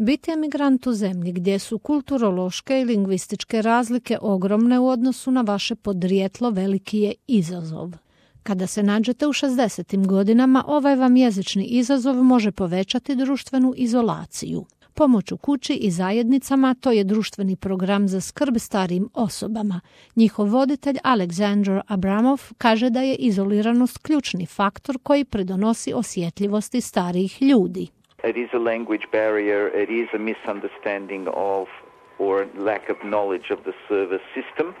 Biti emigrant u zemlji gdje su kulturološke i lingvističke razlike ogromne u odnosu na vaše podrijetlo veliki je izazov. Kada se nađete u 60. godinama, ovaj vam jezični izazov može povećati društvenu izolaciju. Pomoć u kući i zajednicama to je društveni program za skrb starijim osobama. Njihov voditelj Aleksandar Abramov kaže da je izoliranost ključni faktor koji pridonosi osjetljivosti starijih ljudi. It is a language barrier, it is a misunderstanding of or lack of knowledge of the service system.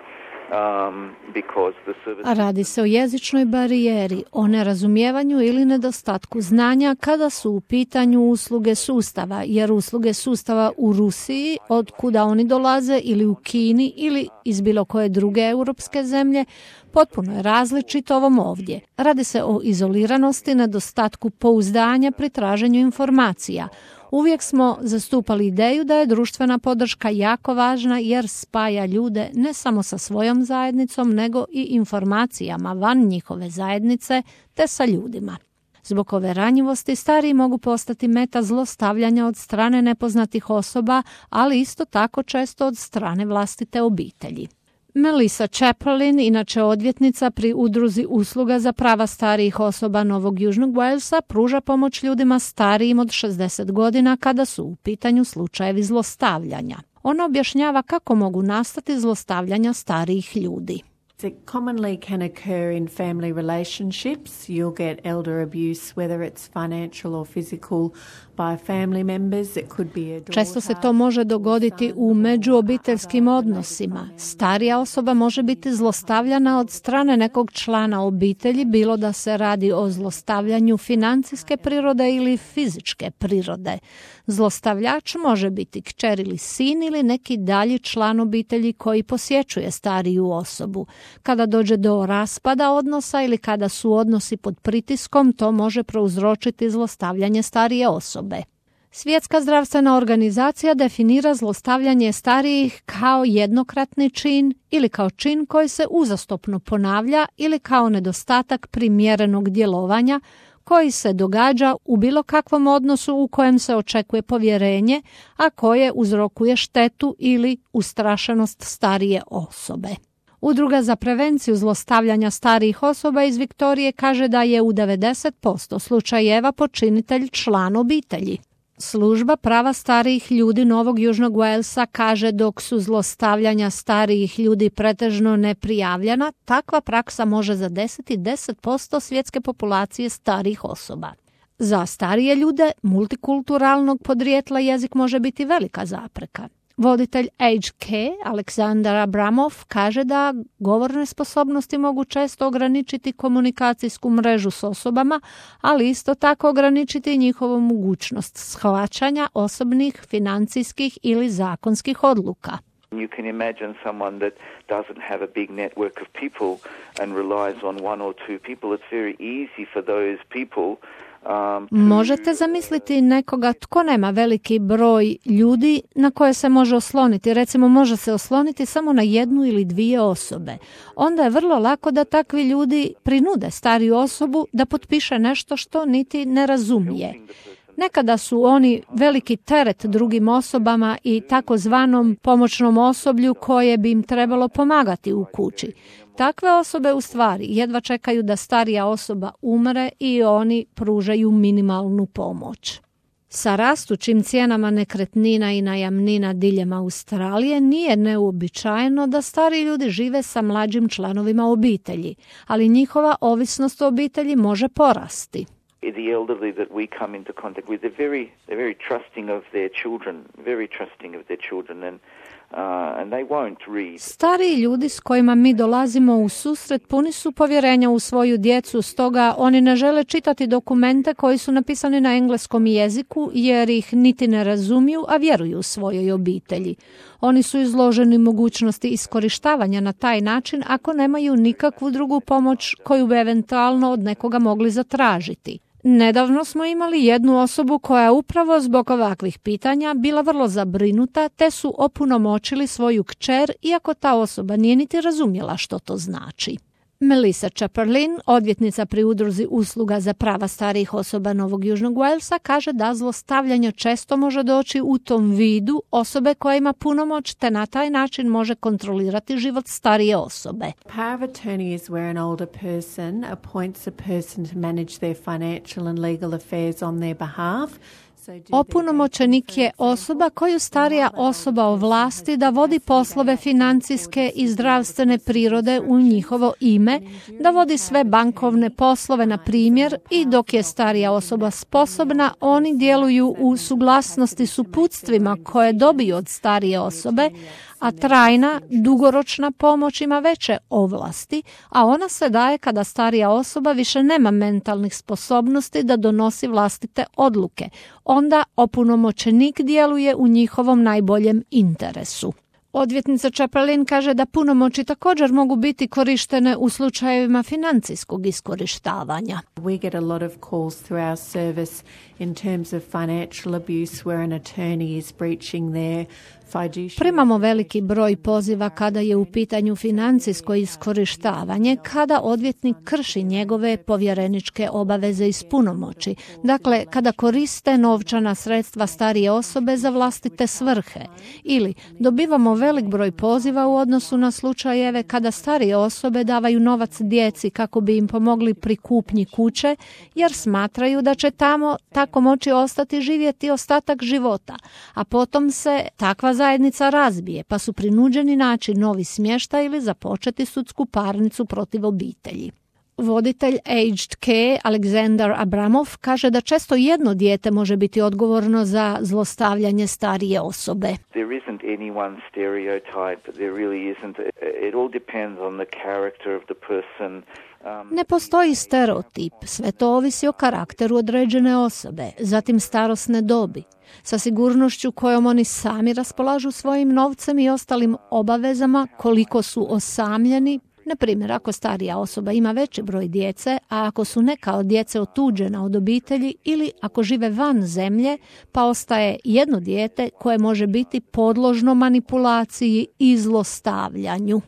A radi se o jezičnoj barijeri, o nerazumijevanju ili nedostatku znanja kada su u pitanju usluge sustava, jer usluge sustava u Rusiji, od kuda oni dolaze, ili u Kini ili iz bilo koje druge europske zemlje, potpuno je različito ovom ovdje. Radi se o izoliranosti, nedostatku pouzdanja pri traženju informacija. Uvijek smo zastupali ideju da je društvena podrška jako važna jer spaja ljude ne samo sa svojom zajednicom, nego i informacijama van njihove zajednice te sa ljudima. Zbog ove ranjivosti stariji mogu postati meta zlostavljanja od strane nepoznatih osoba, ali isto tako često od strane vlastite obitelji. Melissa Chaplin, inače odvjetnica pri udruzi usluga za prava starijih osoba Novog Južnog Walesa, pruža pomoć ljudima starijim od 60 godina kada su u pitanju slučajevi zlostavljanja. Ona objašnjava kako mogu nastati zlostavljanja starijih ljudi. It commonly can occur in family relationships. You'll get elder abuse, whether it's financial or physical, by family members. It could be a daughter. Često se to može dogoditi u međuobiteljskim odnosima. Starija osoba može biti zlostavljana od strane nekog člana obitelji, bilo da se radi o zlostavljanju financijske prirode ili fizičke prirode. Zlostavljač može biti kćer ili sin ili neki dalji član obitelji koji posjećuje stariju osobu. Kada dođe do raspada odnosa ili kada su odnosi pod pritiskom, to može prouzročiti zlostavljanje starije osobe. Svjetska zdravstvena organizacija definira zlostavljanje starijih kao jednokratni čin ili kao čin koji se uzastopno ponavlja ili kao nedostatak primjerenog djelovanja koji se događa u bilo kakvom odnosu u kojem se očekuje povjerenje, a koje uzrokuje štetu ili ustrašenost starije osobe. Udruga za prevenciju zlostavljanja starijih osoba iz Viktorije kaže da je u 90% slučajeva počinitelj član obitelji. Služba prava starijih ljudi Novog Južnog Walesa kaže dok su zlostavljanja starijih ljudi pretežno neprijavljena, takva praksa može zadesiti 10% svjetske populacije starijih osoba. Za starije ljude multikulturalnog podrijetla jezik može biti velika zapreka. Voditelj HK, Aleksandar Abramov, kaže da govorne sposobnosti mogu često ograničiti komunikacijsku mrežu s osobama, ali isto tako ograničiti njihovu mogućnost shvaćanja osobnih, financijskih ili zakonskih odluka. You can imagine someone that doesn't have a big network of people and relies on one or two people. It's very easy for those people. Možete zamisliti nekoga tko nema veliki broj ljudi na koje se može osloniti. Recimo, može se osloniti samo na jednu ili dvije osobe. Onda je vrlo lako da takvi ljudi prinude stariju osobu da potpiše nešto što niti ne razumije. Nekada su oni veliki teret drugim osobama i takozvanom pomoćnom osoblju koje bi im trebalo pomagati u kući. Takve osobe u stvari jedva čekaju da starija osoba umre i oni pružaju minimalnu pomoć. Sa rastućim cijenama nekretnina i najamnina diljem Australije nije neuobičajeno da stariji ljudi žive sa mlađim članovima obitelji, ali njihova ovisnost o obitelji može porasti. The elderly that we come into contact with, they're very trusting of their children, and they won't read. Stariji ljudi s kojima mi dolazimo u susret puni su povjerenja u svoju djecu, stoga oni ne žele čitati dokumente koji su napisani na engleskom jeziku jer ih niti ne razumiju, a vjeruju svojoj obitelji. Oni su izloženi mogućnosti iskorištavanja na taj način ako nemaju nikakvu drugu pomoć koju bi eventualno od nekoga mogli zatražiti. Nedavno smo imali jednu osobu koja upravo zbog ovakvih pitanja bila vrlo zabrinuta te su opunomoćili svoju kćer iako ta osoba nije niti razumjela što to znači. Melissa Chaperlin, odvjetnica pri udruzi usluga za prava starijih osoba Novog Južnog Walesa, kaže da zlostavljanje često može doći u tom vidu osobe koja ima punomoć te na taj način može kontrolirati život starije osobe. Power of attorney is where an older person appoints a person to manage their financial and legal affairs on their behalf. Opunomoćenik je osoba koju starija osoba ovlasti da vodi poslove financijske i zdravstvene prirode u njihovo ime, da vodi sve bankovne poslove, na primjer, i dok je starija osoba sposobna, oni djeluju u suglasnosti s uputstvima koje dobiju od starije osobe, a trajna, dugoročna pomoć ima veće ovlasti, a ona se daje kada starija osoba više nema mentalnih sposobnosti da donosi vlastite odluke. Onda opunomoćenik djeluje u njihovom najboljem interesu. Odvjetnica Chaperlin kaže da punomoći također mogu biti korištene u slučajevima financijskog iskorištavanja. We get a lot of calls through our service in terms of financial abuse where an attorney is breaching their fiduciary. Primamo veliki broj poziva kada je u pitanju financijsko iskorištavanje, kada odvjetnik krši njegove povjereničke obaveze iz punomoći. Dakle, kada koriste novčana sredstva starije osobe za vlastite svrhe. Ili dobivamo velik broj poziva u odnosu na slučajeve kada starije osobe davaju novac djeci kako bi im pomogli pri kupnji kuće, jer smatraju da će tamo tako moći ostati živjeti ostatak života, a potom se takva zajednica razbije, pa su prinuđeni naći novi smještaj ili započeti sudsku parnicu protiv obitelji. Voditelj Aged Care Alexander Abramov kaže da često jedno dijete može biti odgovorno za zlostavljanje starije osobe. There isn't any one stereotype, there really isn't. It all depends on the character of the person. Ne postoji stereotip, sve to ovisi o karakteru određene osobe, zatim starosne dobi. Sa sigurnošću kojom oni sami raspolažu svojim novcem i ostalim obavezama, koliko su osamljeni. Na primjer, ako starija osoba ima veći broj djece, a ako su neka od djece otuđena od obitelji ili ako žive van zemlje, pa ostaje jedno dijete koje može biti podložno manipulaciji i zlostavljanju.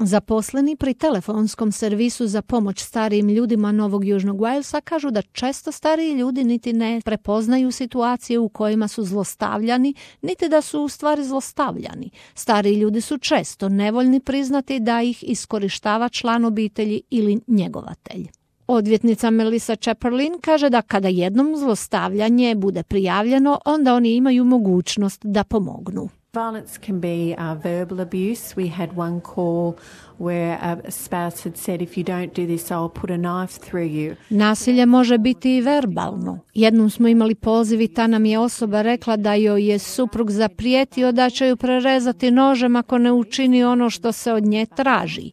Zaposleni pri telefonskom servisu za pomoć starijim ljudima Novog Južnog Walesa kažu da često stariji ljudi niti ne prepoznaju situacije u kojima su zlostavljani, niti da su u stvari zlostavljani. Stariji ljudi su često nevoljni priznati da ih iskorištava član obitelji ili njegovatelj. Odvjetnica Melissa Chaperlin kaže da kada jednom zlostavljanje bude prijavljeno, onda oni imaju mogućnost da pomognu. Violence can be verbal abuse. We had one call where a spouse had said, if you don't do this, I'll put a knife through you. Nasilje može biti i verbalno. Jednom smo imali poziv i ta nam je osoba rekla da joj je suprug zaprijetio da će ju prerezati nožem ako ne učini ono što se od nje traži.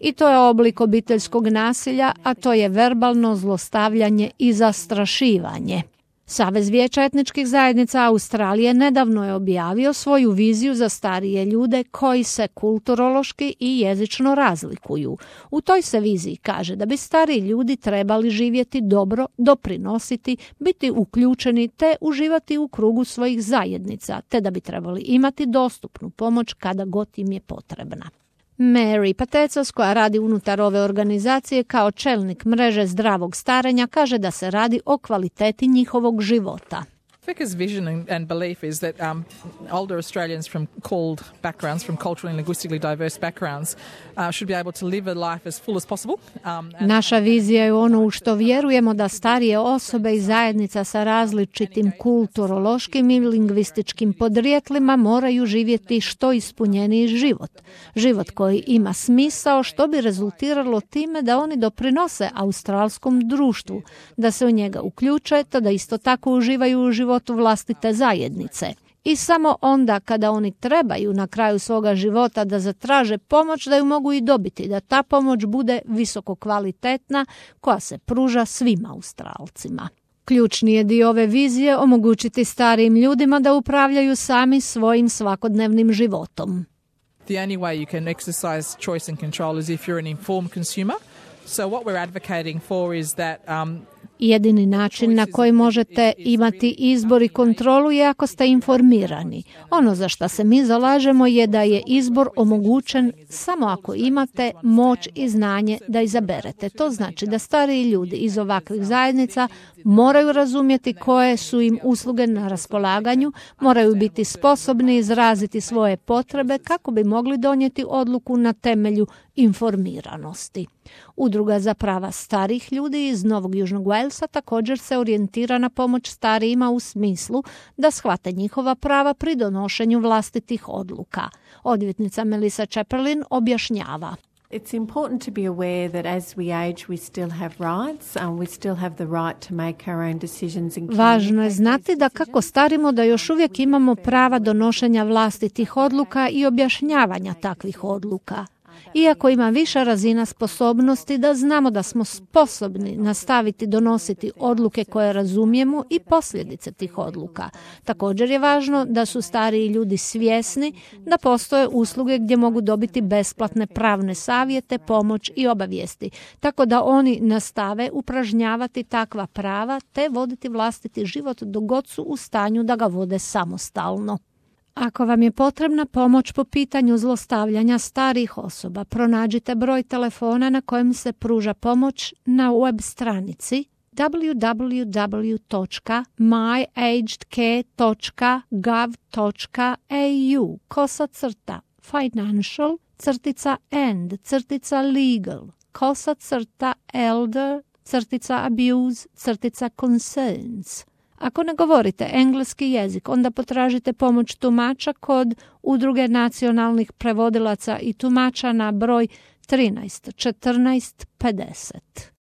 I to je oblik obiteljskog nasilja, a to je verbalno zlostavljanje i zastrašivanje. Savez vijeća etničkih zajednica Australije nedavno je objavio svoju viziju za starije ljude koji se kulturološki i jezično razlikuju. U toj se viziji kaže da bi stariji ljudi trebali živjeti dobro, doprinositi, biti uključeni te uživati u krugu svojih zajednica, te da bi trebali imati dostupnu pomoć kada god im je potrebna. Mary Patecos, koja radi unutar ove organizacije kao čelnik mreže zdravog starenja, kaže da se radi o kvaliteti njihovog života. Vica's vision and belief is that older Australians from called backgrounds, from culturally and linguistically diverse backgrounds, should be able to live a life as full as possible. Naša vizija je ono u što vjerujemo, da starije osobe i zajednica sa različitim kulturološkim i lingvističkim podrijetlima moraju živjeti što ispunjeniji život. Život koji ima smisao, što bi rezultiralo time da oni doprinose australskom društvu, da se u njega uključe, te da isto tako uživaju u životu vlastite zajednice. I samo onda kada oni trebaju na kraju svoga života da zatraže pomoć, da ju mogu i dobiti, da ta pomoć bude visoko kvalitetna koja se pruža svim Australcima. Ključni je dio ove vizije omogućiti starijim ljudima da upravljaju sami svojim svakodnevnim životom. The only way you can exercise choice and control is if you're an informed consumer. So what we're advocating for is that Jedini način na koji možete imati izbor i kontrolu je ako ste informirani. Ono za što se mi zalažemo je da je izbor omogućen samo ako imate moć i znanje da izaberete. To znači da stariji ljudi iz ovakvih zajednica moraju razumjeti koje su im usluge na raspolaganju, moraju biti sposobni izraziti svoje potrebe kako bi mogli donijeti odluku na temelju informiranosti. Udruga za prava starih ljudi iz Novog Južnog Walesa također se orijentira na pomoć starijima u smislu da shvate njihova prava pri donošenju vlastitih odluka. Odvjetnica Melissa Chaperlin objašnjava. It's important to be aware that as we age we still have rights, we still have the right to make our own decisions. Važno je znati da kako starimo da još uvijek imamo prava donošenja vlastitih odluka i objašnjavanja takvih odluka. Iako ima viša razina sposobnosti da znamo da smo sposobni nastaviti donositi odluke koje razumijemo i posljedice tih odluka. Također je važno da su stariji ljudi svjesni da postoje usluge gdje mogu dobiti besplatne pravne savjete, pomoć i obavijesti, tako da oni nastave upražnjavati takva prava te voditi vlastiti život dok god su u stanju da ga vode samostalno. Ako vam je potrebna pomoć po pitanju zlostavljanja starijih osoba, pronađite broj telefona na kojem se pruža pomoć na web stranici www.financial-and-care.gov.au/financial-elder-abuse-concerns. Ako ne govorite engleski jezik, onda potražite pomoć tumača kod Udruge nacionalnih prevodilaca i tumača na broj 13 14 50.